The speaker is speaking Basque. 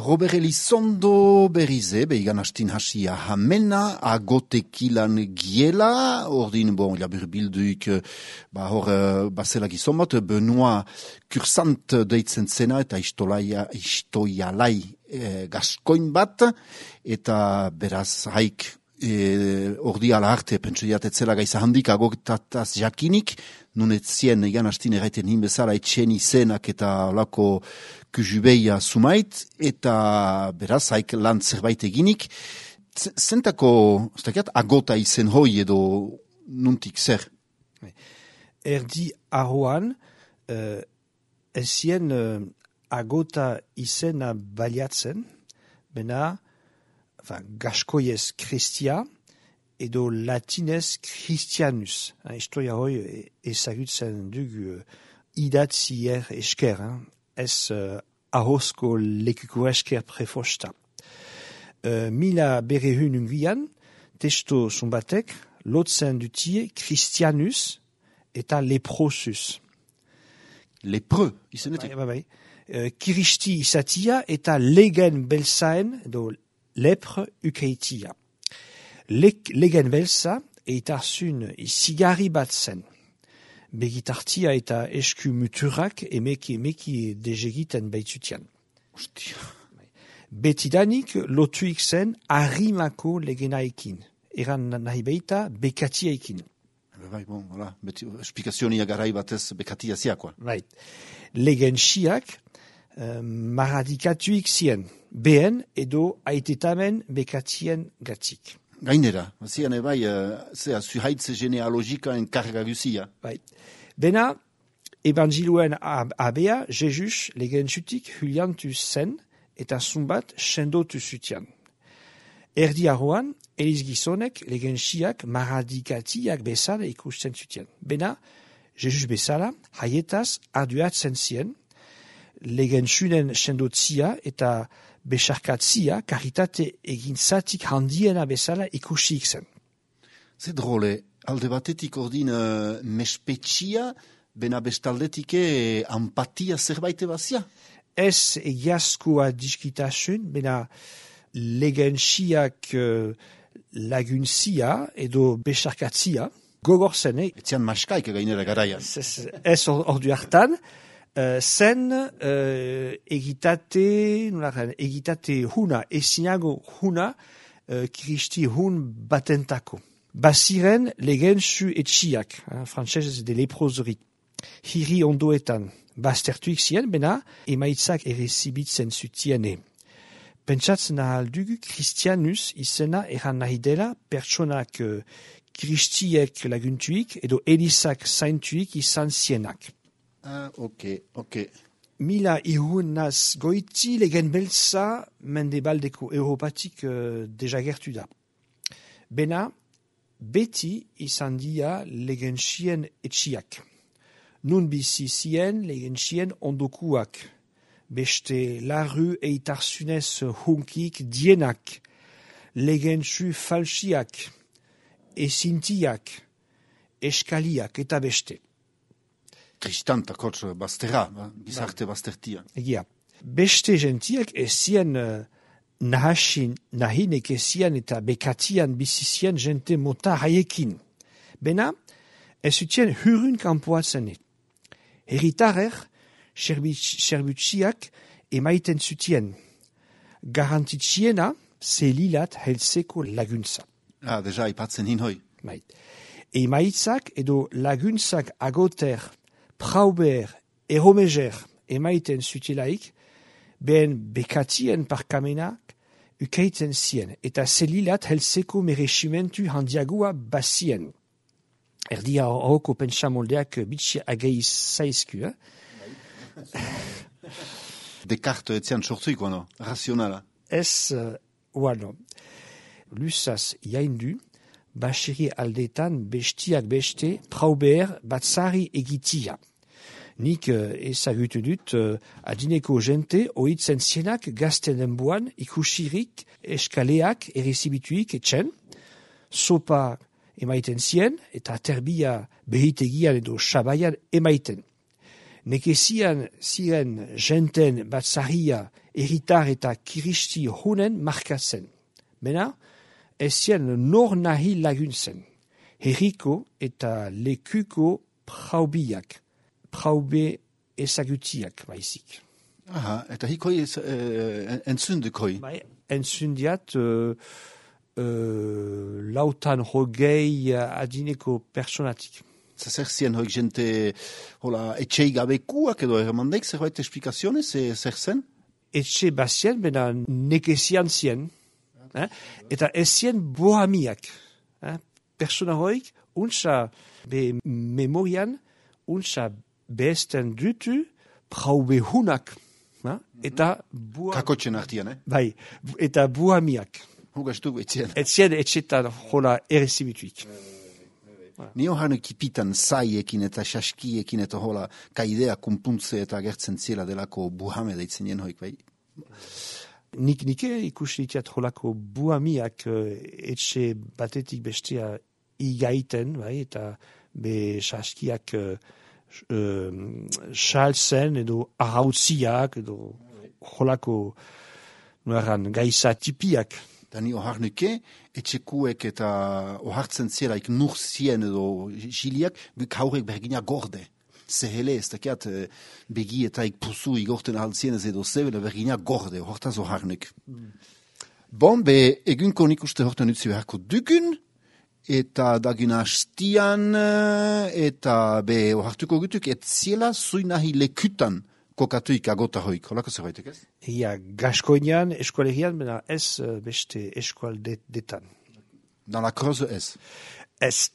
Robert Elizondo berrize, behigan hastin hasia hamena, agotekilan giela, ordin, labur bilduik, hor, basela gizon bat, Benoit Kursant deitzen zena, eta istoialai gaskoin bat, eta beraz haik, ordi ala arte, pentsu diatetzela gaiza handik, agotataz jakinik, nunetzien egan hastin erraiten hinbezala etxen izenak eta olako kujubeia sumait, eta beraz haik lan zerbait eginik, zentako, agota izen hoi edo nuntik zer? Erdi arroan, ezien agota izena baliatzen, bena, gaskoiez Christia, edo latinez Christianus. Historia hoi ezagutzen dugu idatzier esker, ez ahozko lekuko esker prefosta. Mila berrehun ungian, testo zumbatek, lotzen dutie Christianus eta leprosus. Lepreux, izenetik? Bai. Kiristi izatia eta legen belzaen, edo lepre ukeitia. Legen belza eta zun sigari bat zen. Begitartia eta esku muturak emeki dezegiten baitzutian. Ostia. Betidanik lotuik zen harimako legenaekin. Eran nahi baita bekatiaekin. Bai, beti esplikazionia garai batez bekatia ziakoa. Right. Legen siak maradikatuik zien, behen edo aitetamen bekatien gatik. Gainera, zian zuhaitze genealogika enkarga guzia. Bai. Bena, evangelioen abea, Jesus legen zutik huliantu zen eta zumbat sendotu zutian. Erdi arroan, eliz gizonek legen siak maradikatiak bezala ikusten zutian. Bena, Jesus bezala, haietaz arduatzen zien, legen sunen sendotzia eta besarkatzia karitate egintzatik handiena bezala ikusik zen. Ze drole, alde batetik ordin mespetxia, bena bestaldetik empatia zerbait bazia? Ez egiazkoa diskitasun, bena legentsiak laguntzia edo besarkatzia, gogor zen, Etzian maskaik gainera garaian. Ez ordu hartan, zen egitate huna, ezinago huna, kiristi hun batentako. Baziren legentzu etxiak, frantsesez de leproseri, hiri ondoetan, baztertuik zien, bena emaitzak errezibitzen zutiene. Pentsatzen ahal dugu Christianus izena eran nahi dela pertsonak kiristiek laguntuik edo elizak zaintuik izan zienak. Ok. Mila ihunaz goiti legen beltza mendebaldeko Europatik dejagertu da. Bena, beti izan dia legentsien etxiak. Nun bizi zien legentsien ondokuak. Beste larru eitarzunez hunkik dienak. Legentsu falsiak. Ezintiak. Eskaliak eta beste. Kristanta kotz bazterra, gizarte baztertia. Egia. Beste gentiak ezien nahinek ezien eta bekatian bizizien gente mota haiekin. Bena, ez zutien hurun kanpoatzenet. Heritarer, serbutsiak emaiten zutien. Garantitziena, zelilat heltzeko laguntza. Deja ipatzen hinhoi. Emaitzak edo laguntzak agoter, prauber, eromeger emaiten zutielaik, behen bekatien parkamenak ukeiten zien, eta zelilat heltzeko meresimentu handiagoa bazien. Erdia horoko pentsamoldeak bitxi ageiz zaizku, Descartes etzian sortuiko, no? Razionala. Ez, Lusaz jaindu, basiri aldetan bestiak beste prauber batzari egitia. Nik ezagutu dut adineko jente ohitzen zienak gazten denboan ikusirik eskaleak errezibituik etxen, sopa emaiten zien eta terbia behitegian edo sabaian emaiten. Nekezian ziren jenten batzarria erritar eta kiristi honen markatzen. Bena, ez zien nor nahi laguntzen. Herriko eta lekuko praubiak, praube ezagutiak baizik. Aha, eta hikoi entzundekoi. Bai, entzundiat lautan hogei adineko personatik. Zer zien hoik jente etxei gabekuak edo erremandeik, zerbait esplikazionez, zer zen? Etxe bazien, bena nekezian zien, eta ez zien bohamiak. Persona hoik, untsa be memorian, untsa behesten dutu praube hunak, eta kakotxen artian, bai, eta bohamiak. Hugastu etzien. Etzien etxetan jola errezibituik. Ni horren kipitan zaiekin eta saskiekin eta hola kaidea kumpuntze eta agertzen ziela delako buhame deitzen jen hoik, bai? Nike ikusi ditiat holako buhamiak etxe batetik bestea igaiten, bai, eta be saskiak salzen edo ahautziak edo holako nueran gaisa tipiak. Da ni oharnuke, etxekuek eta ohartzen zielaik nur zien edo jiliak, haurek bergina gorde. Zehele ez dakiat begietaik pusu igorten ahaltzienez edo zebele bergina gorde, hortaz oharnuk. Bon, be egunko nik uste hortan utzi beharko dugun, eta dagun hastian, eta be ohartuko gutuk, et ziela zuinahi lekutan, kokatuik agota hoik, holako zerbaitek ez? Ia, gaskoinan, eskualegian, bena ez beste eskualdetan. Dans la Creuse ez? Ez.